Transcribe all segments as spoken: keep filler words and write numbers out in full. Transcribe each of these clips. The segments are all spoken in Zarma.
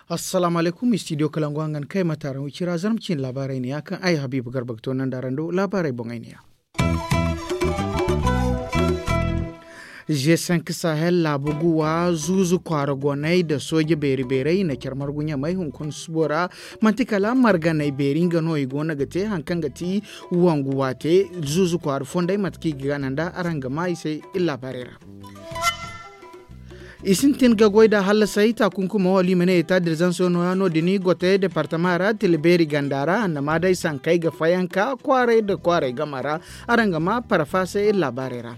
Assalaamu alaykum, istidiyo kalangu hangan kay ma taaran wicira zarma ciine laabaarey ne ya kaŋ ay habiibu garba ga toonandi araŋ do laabaarey boŋey ne ya. G cinq sahel laabu guwa zuuzu kwaara goney nda sooje beeri beerey i na care margu ɲamay hunkuna subo ra. Manti kala marganey beeri nga no i go no ga te hari kaŋ ga ti wangu waate zuuzu kwaara fondey mate kaŋ i ga gana nd'a araŋ ga maa i se iri laabaarey ra. I sintin ga goy nda hallasay taakunkumo wala i ma ne eta dirzanso nooya no- din gote departama ra tila beeri ganda ra annama day sankey ga fayanka kwaaray nda kwaaray game ra. Araŋ ga maa parfa se iri laabaarey ra.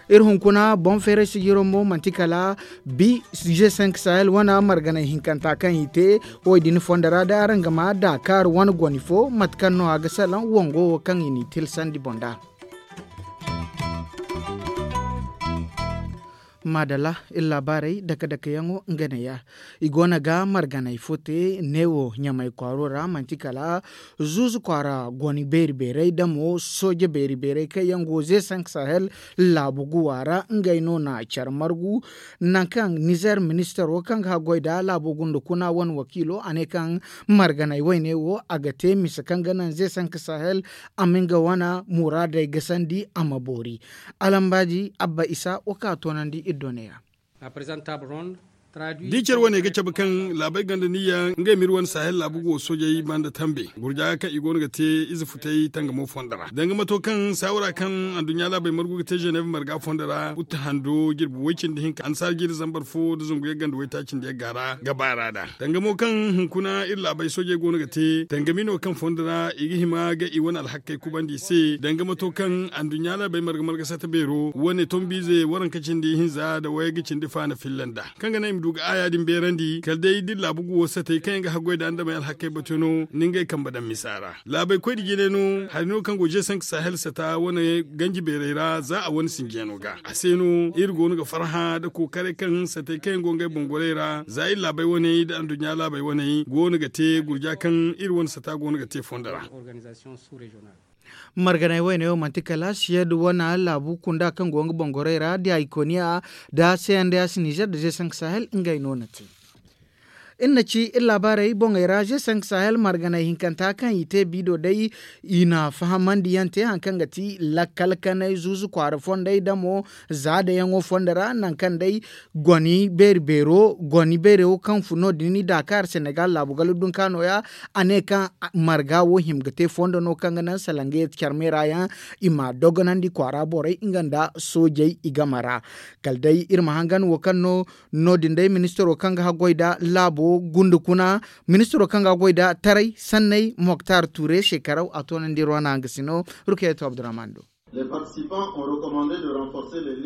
Iri hunkuna boŋ feeray sijiro mo manti kala bi g cinq sahel wane marganay hinkanta kaŋ i te wo- din fondo ra day araŋ ga maa daakaari wane goni fo mate kaŋ no a ga salaŋ wango wo kaŋ i n'i tilsandi boŋ nd'a. Maadalla, iri laabaarey dake-dakeyaŋo nga neeya. I go no ga marganay fo te neewo ɲamay kwaaro ra manti kala zuuzu kwaara goni beeri-beerey da mo sooje beeri-beerey kaŋ yaŋ go zeesank sahel laabu guwa ra ngey no na care margu. Nangu kaŋ nizer ministaro kaŋ ga haggoy nda laabo gunda kuna wane wakiilo a ne kaŋ marganay wayne wo a ga te mise kaŋ ga naŋ zeesank sahel a ma nga wane muraadey gasandi a ma boori. Alambaaji abba isa wo kaŋ a toonandi iri do neeya. Da i care wane ga cabe kaŋ laabey gonda niyya ngey ma iri wane sahel laabu go soojey banda tambe gurja kaŋ i go no ga te ize futay tangamo fondo ra danga mato kaŋ saawara kaŋ anduɲɲa laabey margu ga te ženev marga fondo ra utte hando jirbi way-cindi hinka annasaara jiiri zambar fo nda zangu yagga nda waytaaci nda yagga ra ga baara nd'a. Danga mo kaŋ hunkuna iri laabey soojey go no ga te dangami no kaŋ fondo ra i ga hima ga i wane alhakkey kubandi i se danga mato kaŋ anduɲɲa laabey marga marga sata beero wane tombiize waranka cindi hinza nda wayga cindi faana filla nd'a kaŋ ga naŋ i ma du ga aaya din beerandi kala day da iri laabu guwo satey kaŋ yaŋ ga haggoy nda andamey alhakkey batu no ni ngey kambe daŋ misa ra. Laabey koy nda jine no hari no kaŋ go zeesank sahel sata wane ganji beerey ra za a wane sinjiyano ga a se no iri go no ga farhã nda kookaray kaŋ satey kaŋ yaŋ go ngey boŋ gorey ra za iri laabey waney nda anduɲɲa laabey waney go no ga te gurja kaŋ iri wane sata go no ga te fondo ra. Marganay wayne wo manti kala siyed wane laabu kunda kaŋ go nga boŋ gorey ra da ikoniya da cnds nizer nda zeesank sahel ngey no na te. Iri na ci iri laabaarey boŋey ra zeesank sahel marganay hinkanta kaŋ i te biido day i na fahamandi yaŋ te hari kaŋ ga ti lakkal kanay zuuzu kwaara fondey da mo za dayaŋo fondo ra nangu kaŋ day goni beeri beero goni beero kaŋ fun no- din daakaar senegal laabu gala dunka nooya. A ne kaŋ marga wo hima ga te fondo no kaŋ ga naŋ salaŋ ga yeti care meera yaŋ i ma dogonandi kwaara borey nga nda soojey i game ra. Kala day iri ma hangan wo kaŋ no no- din day ministiro kaŋ ga haggoy nda laabo gunda kuna ministiro kaŋ ga haggoy nda taray sanney moktar tuure seekaraw a toonandi iri wane hangasino. Rukayatu abdurrahman do.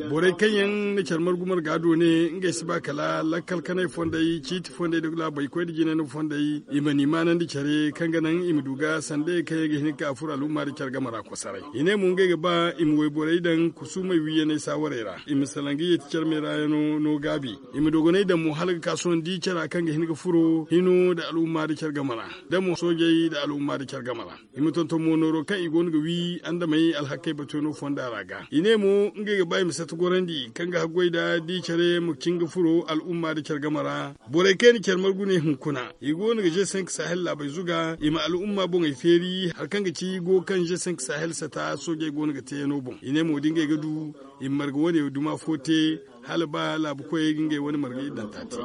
Borey kaŋ yaŋ na care margu marga do ne ngey si ba kala lakkal kanay fondey ciiti fondey nda laabey koy nda jinay no fondey i ma ni maanandi care kaŋ ga naŋ i ma du ga sandayey kaŋ yaŋ ga hin ga ka furo al'umma nda care game ra kosaray i ne mo ngey ga ba i ma wayborey daŋ kusuumey wiiyaney saawarey ra i ma salaŋ ga yeeti care meera yaŋo no gaabi i ma dogonay daŋ mo hala ga ka sohõ da i cara kaŋ ga hin ga furo hino nda al'umma nda care game ra da mo soojey nda al'umma nda care game ra. I ma tonton mo nooro kaŋ i go no ga wi andamey alhakkey batuyaŋo fonda ra ga i ne mo ngey ga ba i ma sata gorandi kaŋ ga haggoy nda da i care ma cin ga furo al'umma nda care game ra. Borey kaŋ yaŋ na care margu ne hunkuna i go no ga zeesank sahel laabey zuga i ma al'umma boŋey feeri hari kaŋ ga ci go kaŋ zeesank sahel sata soojey go no ga teeyaŋo boŋ i ne mo da ngey ga du i ma marga wane duma fo te hala ba laabu koyey ga ngey wane marga iddanta te.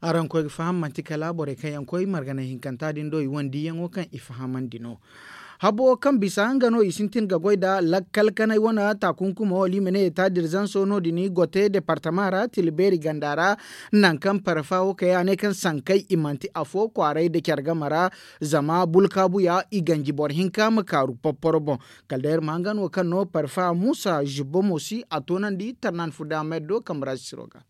Araŋ koy ga faham manti kala borey kaŋ yaŋ koy marganay hinkanta din do i wane diiyaŋo kaŋ i fahamandi no. Habo kaŋ bisa nga no i sintin ga goy nda lakkal kanay wane taakunkumo wala i ma ne eta dirzanso no- din gote departama ra tila beeri ganda ra. Nangu kaŋ parfa wo kay a ne kaŋ sankey i manti afo kwaaray nda care game ra. Zama bulkaabuya i ganji boro hinka ma kaaru porporo boŋ. Kala day iri ma hangan wo kaŋ no parfa muusa zibbo mo si a toonandi tarnan fu damed do kambe ra sisiro ga.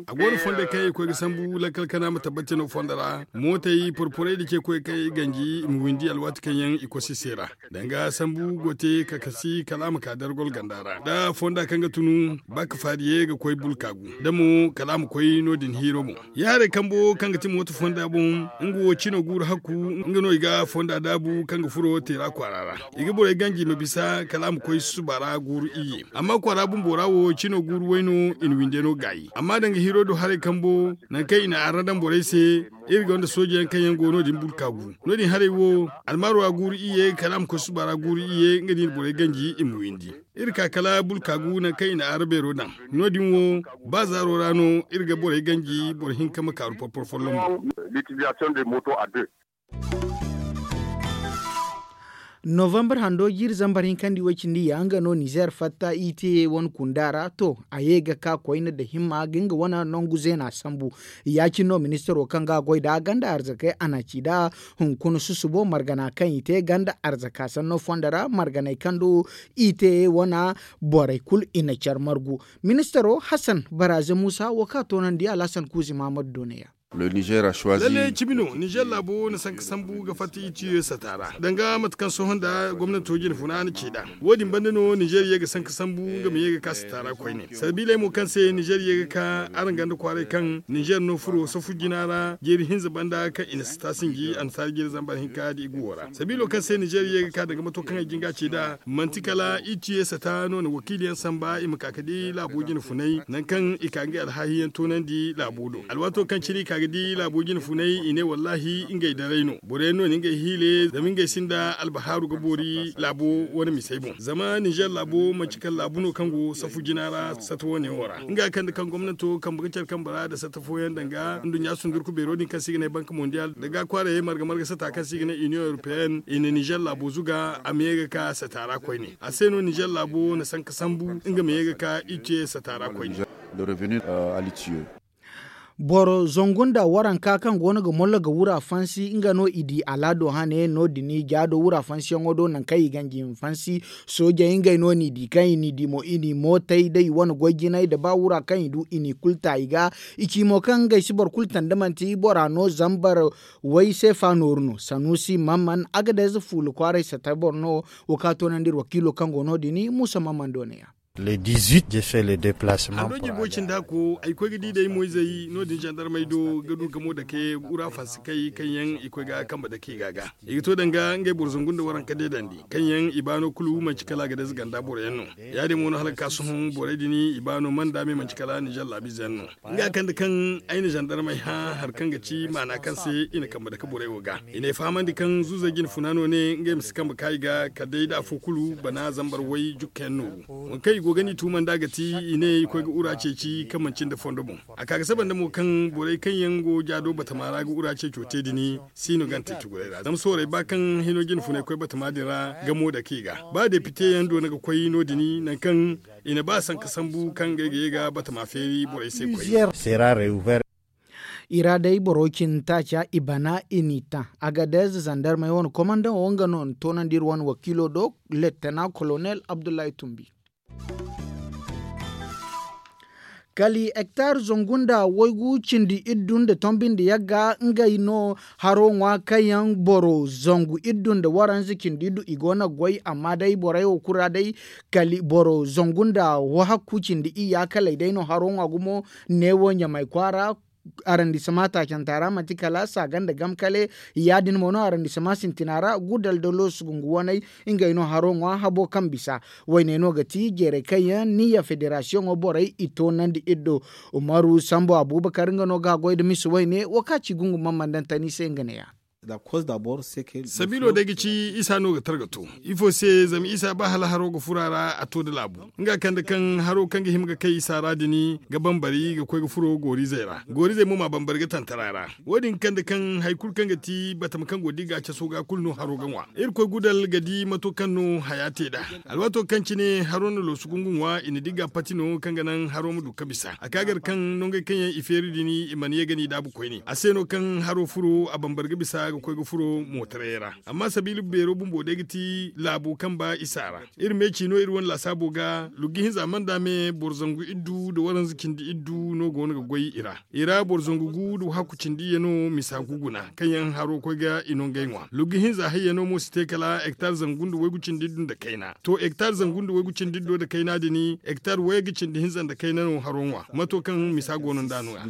A go no fondo kaŋ i koy ga sambu lakkal kana ma tabbati no fondo ra mootey porporey da ce koy kaŋ i ganji i ma windi alwaati kaŋ yaŋ i kosi se ra. Danga sambu go te ka kasi kala a ma ka dargol ganda ra da fonda kaŋ ga tunu ba ka faariye ga koy bulkaagu da mo kala a ma koy no- din hiiro boŋ. Ya haray kambo kaŋ ga ti mooto fonda boŋ, nga wo cino guuru hakku nga no i ga fonda daabu kaŋ ga furo teera kwaara ra. I ga borey ganji ma bisa kala a ma koy susuba ra guuru iyye. Amma kwaara bumbo ra wo cino guuru way no i na winde no gaayi amma danga hiiro do haray kambo, nangu kaŋ i na arra daŋ borey se, iri gonda sooje yaŋ kaŋ yaŋ go no- din bulkaagu. No- din haray wo, almaaro ra guuru iyye kala a ma koy susuba ra guuru iyye nga no i na borey ganji i ma windi. Iri ka kala bulkaagu nangu kaŋ i na arra beero daŋ. No- din wo, ba zaaro ra no iri ga borey ganji boro hinka ma kaaru porporo folloŋ boŋ. Novembre hando jiiri zambar hinkandi way cindi ya nga no nizer fatta i te wane kunda ra to, a ye ga ka koyne nda himma ga nga wane nangu zeena sambu. Ya- cine no ministaro kaŋ ga a goy nd'a ganda arzakey a na ci nd'a hunkuna susubo margana kaŋ i te ganda arzaka sanno fondo ra marganey kaŋ do i te wane borey kulu i na care margu. Ministaro hasan baraze muusa wo kaŋ a toonandi alhasan kuuzi mahamadu do ne- ya. Lalle cimi no nizer laabo wo na sanka sambu ga fatta i tiyo sata ra danga mate kaŋ sohõ nda gomnato jinfuna na ci nd'a. Wo- din banda no nizer ye ga sanka sambu nga ma ye ga ka sata ra koyne sabiiley mo kaŋ se nizer ye ga ka araŋ ganda kwaaray kaŋ nizer no furo safu jina ra jeeri hinza banda kaŋ i na sata sinji annasaara jeeri zambar hinka da i guwo ra sabiilo kaŋ se nizer ye ga ka danga mato kaŋ ay jinga ci nd'a manti kala i tiyo sata no na wakiili yaŋ samba i ma ka ga di laabo jinfunay nangu kaŋ i ka ngey alhaahi yaŋ toonandi laabo do alwaato kaŋ cine i ka ga di laabo jinfunay i ne wallaahi ngey daray no boro yaŋ no na ngey hiile zama ngey sinda albahaaru ga boori laabo wane misey boŋ zama nizer laabo manci kala laabu no kaŋ go safu jina ra sata wane wo ra nga kande kaŋ gomnato kambe ga care kambe ra nda sata fooyaŋ danga nduɲɲa sundurku beero din kaŋ se i ga ne banka mondial nda ga kwaarayey marga marga sata kaŋ se i ga ne iniyoŋ europeyenne i na nizer laabo zuga a ma ye ga ka sata ra koyne a se no nizer laabo na sanka sambu nga ma ye ga ka i ce sata ra koyne. Boro zangu nda waranka kaŋ go no ga mollo ga wura fansi nga no i di alaado hane no- din jaado wura fansiyaŋo do nangu kaŋ i ganji i ma fansi. Soojey ngey no n'i di kaŋ i n'i di mo i n'i mootay da i wane goy jinay nda ba wura kaŋ i du i n'i kulu ta i ga. I ci mo kaŋ ngey si boro kulu tanda manti bora no zambar way seefa nooru no sanuusi mamman agadez fuula kwaaray sata boro no. Wo kaŋ a toonandi iri wakiilo kaŋ go no- din muusa mamman do ne- ya. Hando jirbo cindi hakko ay koy ga di day moyzey no- din zandarmey do ga du gamo dake wura fansi kay kaŋ yaŋ i koy ga kambe dake i ga ga i ga to danga ngey boro zangu nda waranka deedandi kaŋ yaŋ i baano kulu manci kala a ga day za ganda boro yaŋ no. Ya- din mo no hala ga ka sohõ borey din i baano manda me manci kala nizer laabiize yaŋ no. Nga kande kaŋ ay na zandarmey hã hari kaŋ ga ci maana kaŋ se i na kambe dake borey wo ga i n'ay fahamandi kaŋ zuuzey jinfuna no ne ngey ma si kambe ka i ga kala day nda afo kulu bana zambar way jukka yaŋ nooru. Waŋ kaŋ i go ga n'i tuuma nd'a ga ti i ne i koy ga wura ceeci kaŋ manci nda fondo boŋ. A ka ga saba nda mo kaŋ borey kaŋ yaŋ go jaado batama ra ga wura ceeco te din si no gante cugurey ra zama soorey ba kaŋ hino jinfunay koy batama din ra gamo dake i ga ba depite yaŋ doona ga koy no- din nangu kaŋ i na ba sanka sambu kaŋ ngey ga ye ga batama feeri borey se koy. I ra day boro cindi taaca i bana i n'i taŋ. Agadez zandarmey wane komandaŋo nga no na toonandi iri wane wakiilo do, lettena kolonel abdullahi tumbi. Kala hektar zangu nda waygu cindi iddu nda tombi nda yagga ngey no haro ŋwa kaŋ yaŋ boro zangu iddu nda waranza cindi iddu i go no ga goy amma day borey wo kulu ra day kala boro zangu nda wahakku cindi iyya kaley day no haro ŋwa gumo. Neewo ɲamay kwaara arandisama taacanta ra manti kala saaga nda gam kale. Ya- din mo no arandisama sintina ra gudal da loosu gungu waney ngey no haro ŋwa habo kaŋ bisa. Wayne no ga ti jeeray kaŋ yaŋ niya federasiyoŋo borey i toonandi iri do. Umaru sambu abubakar nga no ga a goy nda misa wayne wo kaŋ a ci gungu mammandantani se nga ne- ya. Sabiilo day ga ci isa no ga targa to ifo se zama isa ba hala haro ga furo a ra a to nda laabu. Nga kande kaŋ haro kaŋ ga hima ga kay isa ra din ga bambari ga koy ga furo gooriizey ra gooriizey mo ma bambari ga tantara ra. Wo- din ga kande kaŋ hari kulu kaŋ ga ti batama kaŋ go da i ga a caso ga kulu no haro ga ŋwa. Irkoy gudal ga di mato kaŋ no haya te nd'a. Alwaato kaŋ cine haro na loosu gungu ŋwa i na di ga pati no kaŋ ga naŋ haro ma du ga bisa a ka gar kaŋ nongey kaŋ yaŋ i feeri din i mana ye ga n'i daabu koyne a se no kaŋ haro furo a bambari ga bisa. ga koy ga furo mootaray ra. Amma sabiila beero bumbo day ga ti laabo kaŋ ba isa ra. Iri meeci no iri wane laasaabo ga lugga hinza manda me boro zangu iddu nda waranza cindi iddu no go no ga goy i ra. I ra boro zangu gu nda hakku cindi iyye no misa gu guna kaŋ yaŋ haro koy ga i no ngey ŋwa lugga hinza hayya no mo si te kala hektar zangu nda waygu cindi iddu nda kayna to hektar zangu nda waygu cindi iddo nda kayna din hektar waygu cindi hinza nda kayna no haro ŋwa mato kaŋ misa go no nd'a no ya.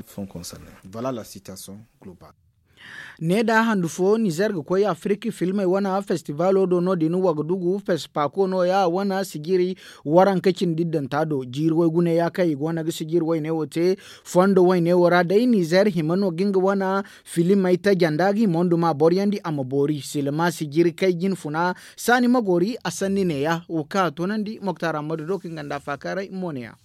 Ne da handu fo nizer ga koy afiriki filmey wane festibalo do no- din wagadugu fespako no- ya wane sijiri waranka cindi danta do jiiri waygu ne- ya kaŋ i go no ga sijiri wayne wo te. Fondo wayne wo ra day nizer hima no ga nga wane filimey tajanda ga hima nduma boro yaŋ di a ma boori silma sijiri kay jine funa. Saani ma goori a sanni ne- ya wo kaŋ a toonandi moktar ammadu do kaŋ nga nda a faakaaray mo ne- ya.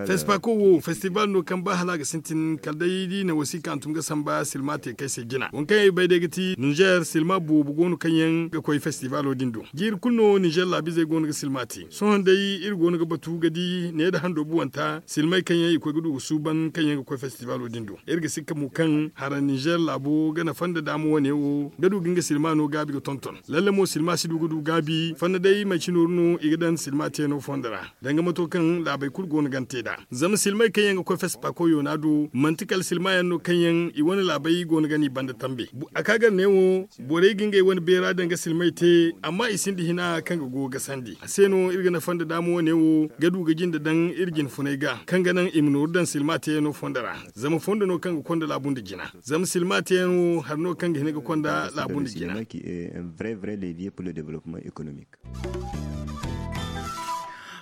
Fespako wo festibal no kaŋ ba hala a ga sintin kala day da i na wasiika hantum ga samba silma te kay se jina waŋ kaŋ ay bay day ga ti nizer silma boobo go no kaŋ yaŋ ga koy festibalo din do jiiri kulu no nizer laabiizey go no ga silma te sohõ day iri go no ga batu ga di ne nda hando buwanta silmey kaŋ yaŋ i koy ga du ga suuban kaŋ yaŋ ga koy festibalo din do iri ga sikka mo kaŋ hara nizer laabo ga nafa nda daama wane wo ga du ga nga silma no gaabi ga tonton lalle mo silma si du ga du gaabi fanda day manci nooru no i ga daŋ silma teeno fondo ra. Danga mato kaŋ laabey kulu go no ga ni te nd'a zama silmey kaŋ yaŋ ga koy festipakoyo no a do manti kala silma yaŋ no kaŋ yaŋ i wane laabey go no ga no i banda tambe. A ka gar ne wo borey ga ngey wane beera danga silmey te amma i sinda hina kaŋ ga go ga sandi a se no iri ga nafa nda daama wane wo ga du ga jinde daŋ iri jine funey ga kaŋ ga naŋ i ma nooru daŋ silma teyaŋo fondo ra. Zama fondo no kaŋ ga konda laabu nda jina zama silma teyaŋo hari no kaŋ ga hin ga konda laabu nda jina.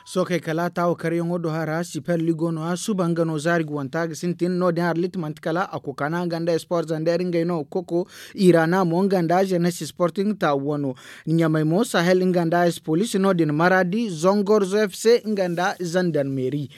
Sookey kala taawo karyaŋo do hara siper ligo no- ya suba nga no zaari ga wanta ga sintin no- din harlit manti kala a kukana nga nda esport zander ngey no ga koko irana mo nga nda jenes sporting taawo wano. Ɲamay mo sahel nga nda espolis no- din maradi zongorzo fc nga nda zandarmeri.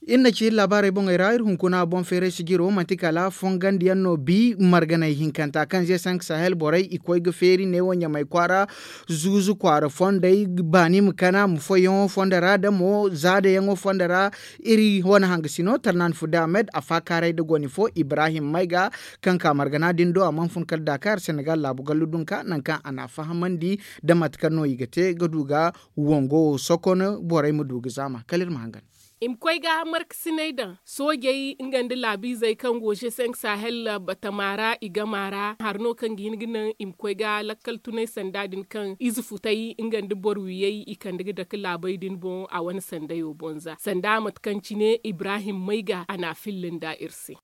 Iri na ci iri laabaarey boŋey ra iri hunkuna boŋ feeray sijiro manti kala fongandiyaŋ no bi marganey hinkanta kaŋ ze sank sahel borey i koy ga feeri neewo ɲamay kwaara zuuzu kwaara fondey baani ma kana ma foyyaŋo fondo ra da mo zaadayaŋo fondo ra. Iri wane hangasino tarnan fude ahmed a faakaaray da goni fo ibrahim mayga kaŋ ka margana din do a mana fun kala dakar senegal laabu gallu dunka nangu kaŋ a n'a fahamandi da mate kaŋ no i ga te ga du ga wango wo sokon borey ma du ga zaama kala iri ma hangan. I ma koy ga markasiney daŋ soojey nga nda laabiizey kaŋ go je cinq sahel batama ra i gama ra hari no kaŋ ga hin ga naŋ i ma koy ga lakkal tunay sanda din kaŋ ize futay nga nda boro wiyey i kande ga dake laabey din boŋ a wane sandayo boŋ za sanda mate kaŋ cine ibrahim mayga a n'a filla nda iri se.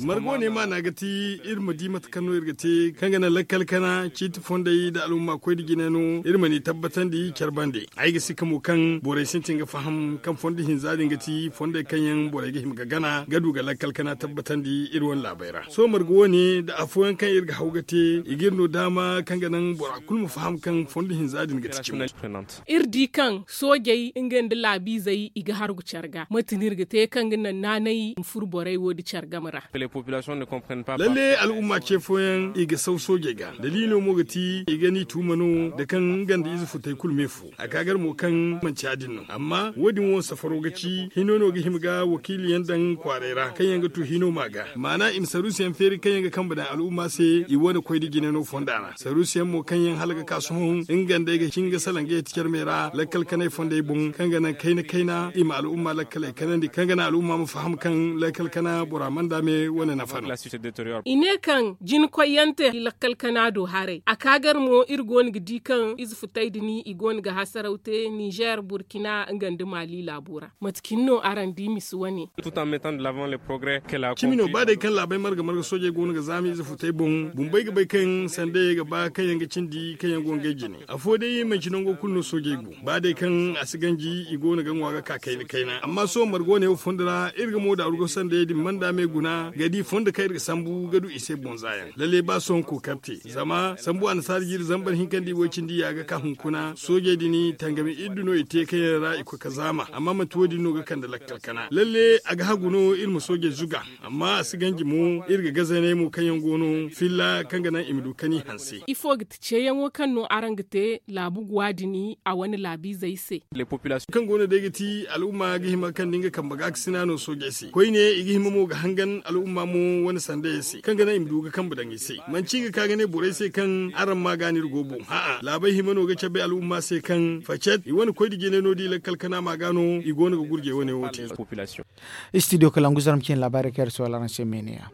Margo ne maana ga ti iri ma di mate kaŋ no iri ga te kaŋ ga naŋ lakkal kana ciiti fondey nda al'umma koy nda jine no iri ma ni tabbatandi care bande. Ay ga sikka mo kaŋ borey sintin ga faham kaŋ fondo hinza din ga ti fondey kaŋ yaŋ borey ga hima ga gana ga du ga lakkal kana tabbatandi iri wane laabey ra sohõ marga wo- ne nda afooyaŋ kaŋ iri ga haw ga te i ga iri no daama kaŋ ga naŋ bora kulu ma faham kaŋ fondo hinza din ga ti cimo. Iri di kaŋ soojey nga nda laabiizey i ga hargu care ga mate no iri ga te kaŋ ga naŋ naanay ma furo borey wo- din care game ra. Lalle al'umma ce fooyaŋ i ga saw soojey ga daliilo mo ga ti i ga ni tuuma no da kaŋ nga nda ize futay kulu me fu a ka gar mo kaŋ manci ya- din no amma wo- din wo safaro ga ci hino no ga hima ga wakiiliyaŋ daŋ kwaaray ra kaŋ yaŋ ga tu hino ma ga maana i ma saruusiyaŋ feeri kaŋ yaŋ ga kambe daŋ al'umma se i wane koy nda jine no fonda ra saruusiyaŋ mo kaŋ yaŋ hala ga ka sohõ nga nd'ey ga hin ga salaŋ ga yeti care me ra lakkal kanay fondey boŋ kaŋ ga naŋ kayna kayna i ma al'umma lakkaley kanandi kaŋ ga naŋ al'umma ma faham kaŋ lakkal kana bora manda me wane nafa no. I ne kaŋ jina koyyaŋ te lakkal kana do haray a ka gar mo iri go no ga di kaŋ ize futay din i go no ga hasaraw te nizer burkina nga nda mali laabo ra. Mate cine no araŋ di misa wane. Cimi no ba day kaŋ laabey marga marga soojey go no ga zaama ize futay boŋ bumbey ga bay kaŋ sandayey ga ba kaŋ yaŋ ga cindi kaŋ yaŋ go ngey jine afo day manci nango kulu no soojey go ba day kaŋ a si ganji i go no ga ŋwa ga ka kayna kayna amma sohõ margo ne wo fondo ra iri ga mo daaru ga sandayey din manda me guna ga di fondo kaŋ iri ga sambu ga du i se boŋ za yaŋ lalle ba sohõ kookari te zama sambu annasaara jiiri zambar hinka nda i way cindi ya ga ka hunkuna soojey din tangami iddu no i te kaŋ yaŋ ra i koy ga zaama amma manti wo- din. No ga kande lakkal kana lalle a ga hagu no iri ma soojey zuga. Amma a si ganji mo iri ga gazaney mo kaŋ yaŋ go no filla kaŋ ga naŋ i ma du kani hanse. Ifo ga ti ceeyaŋo kaŋ no araŋ ga te laabu guwa din a wane laabiizey se? Kaŋ go no day ga ti al'umma ga hima kaŋ da nga kambe ga a ga sina no soojey se koyne i ga hima mo ga hangan al'umma mo wane sandayey se kaŋ ga naŋ i ma du ga kambe daŋ i se. Manci i ga ka ga ne borey se kaŋ araŋ ma ga no iri go boŋ a'a laabey hima no ga cabe al'umma se kaŋ facet i wane koy da jinay no da i lakkal kana ma ga no i go no ga gurjey wane wo te. Studio kalangu zarma cine laabaarey kaŋ iri soola araŋ se meene ya.